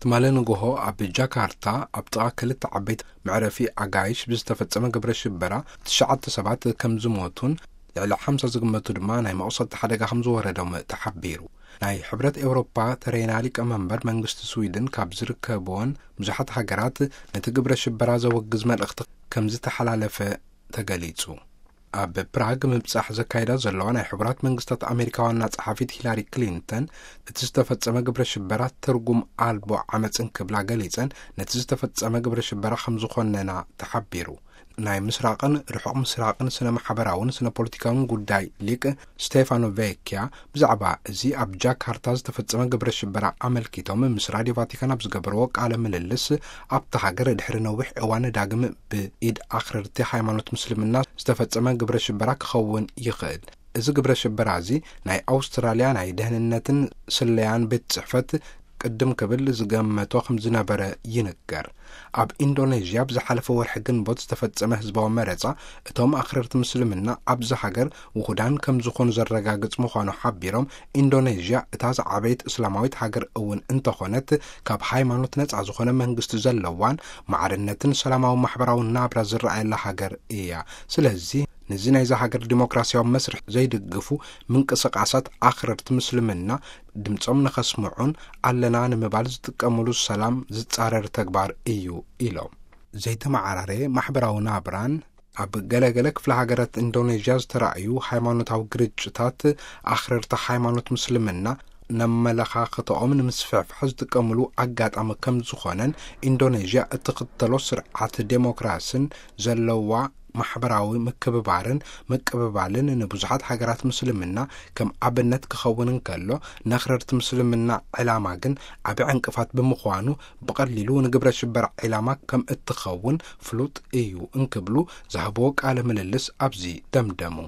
ትማሊ ንግሆ ኣብ ጃካርታ ኣብ ጥቓ ክልተ ዓበይቲ መዕረፊ ኣጋይሽ ብዝተፈጸመ ግብረ ሽበራ ትሽዓተ ሰባት ከም ዝሞቱን ልዕሊ ሓምሳ ዝግመቱ ድማ ናይ መቑሰልቲ ሓደጋ ከም ዝወረዶም ተሓቢሩ። ናይ ሕብረት ኤውሮፓ ተረይና ሊቀመንበር መንግስቲ ስዊድን ካብ ዝርከብዎን ብዙሓት ሃገራት ነቲ ግብረ ሽበራ ዘወግዝ መልእኽቲ ከም ዝተሓላለፈ ተገሊጹ። ኣብ ፕራግ ምብጻሕ ዘካየዳ ዘለዋ ናይ ሕቡራት መንግስታት ኣሜሪካ ዋና ጸሓፊት ሂላሪ ክሊንተን፣ እቲ ዝተፈጸመ ግብረ ሽበራ ትርጉም ኣልቦ ዓመጽን ክብላ ገሊጸን፣ ነቲ ዝተፈጸመ ግብረ ሽበራ ከም ዝኾነና ተሓቢሩ። ናይ ምስራቕን ርሑቕ ምስራቕን ስነ ማሕበራውን ስነ ፖለቲካውን ጉዳይ ሊቅ ስቴፋኖ ቬኪያ ብዛዕባ እዚ ኣብ ጃካርታ ዝተፈጸመ ግብረ ሽበራ ኣመልኪቶም ምስ ራድዮ ቫቲካን ኣብ ዝገበርዎ ቃለ ምልልስ፣ ኣብታ ሃገር ድሕሪ ነዊሕ እዋን ዳግም ብኢድ ኣኽረርቲ ሃይማኖት ምስልምና ዝተፈጸመ ግብረ ሽበራ ክኸውን ይኽእል። እዚ ግብረ ሽበራ እዚ ናይ ኣውስትራልያ ናይ ደህንነትን ስለያን ቤት ጽሕፈት ቅድም ክብል ዝገመቶ ከም ዝነበረ ይንገር። ኣብ ኢንዶኔዥያ ብዝሓለፈ ወርሒ ግንቦት ዝተፈጸመ ህዝባዊ መረጻ፣ እቶም ኣኽረርቲ ምስልምና ኣብዚ ሃገር ውሁዳን ከም ዝኾኑ ዘረጋግጽ ምዃኑ ሓቢሮም፣ ኢንዶኔዥያ እታ ዝዓበየት እስላማዊት ሃገር እውን እንተኾነት፣ ካብ ሃይማኖት ነጻ ዝኾነ መንግስቲ ዘለዋን ማዕርነትን ሰላማዊ ማሕበራዊ ናብራ ዝረኣየላ ሃገር እያ። ስለዚ፣ ነዚ ናይዛ ሃገር ዲሞክራሲያዊ መስርሕ ዘይድግፉ ምንቅስቃሳት ኣኽረርቲ ምስልምና ድምጾም ንኸስምዑን ኣለና ንምባል ዝጥቀምሉ ሰላም ዝጻረር ተግባር እዩ ኢሎም። ዘይተመዓራረየ ማሕበራዊ ናብራን ኣብ ገለገለ ክፍለ ሃገራት ኢንዶኔዥያ ዝተራእዩ ሃይማኖታዊ ግርጭታት ኣኽረርቲ ሃይማኖት ምስልምና ነመለኻኽተኦም ንምስፍሕፋሕ ዝጥቀምሉ ኣጋጣሚ ከም ዝኾነን፣ ኢንዶኔዥያ እትኽተሎ ስርዓት ዴሞክራስን ዘለዋ ማሕበራዊ ምክብባርን ምቅብባልን ንብዙሓት ሃገራት ምስልምና ከም ኣብነት ክኸውን እንከሎ፣ ነኽረርቲ ምስልምና ዕላማ ግን ዓቢ ዕንቅፋት ብምዃኑ፣ ብቐሊሉ ንግብረ ሽበራ ዕላማ ከም እትኸውን ፍሉጥ እዩ እንክብሉ ዝሃብዎ ቃለ ምልልስ ኣብዚ ደምደሙ።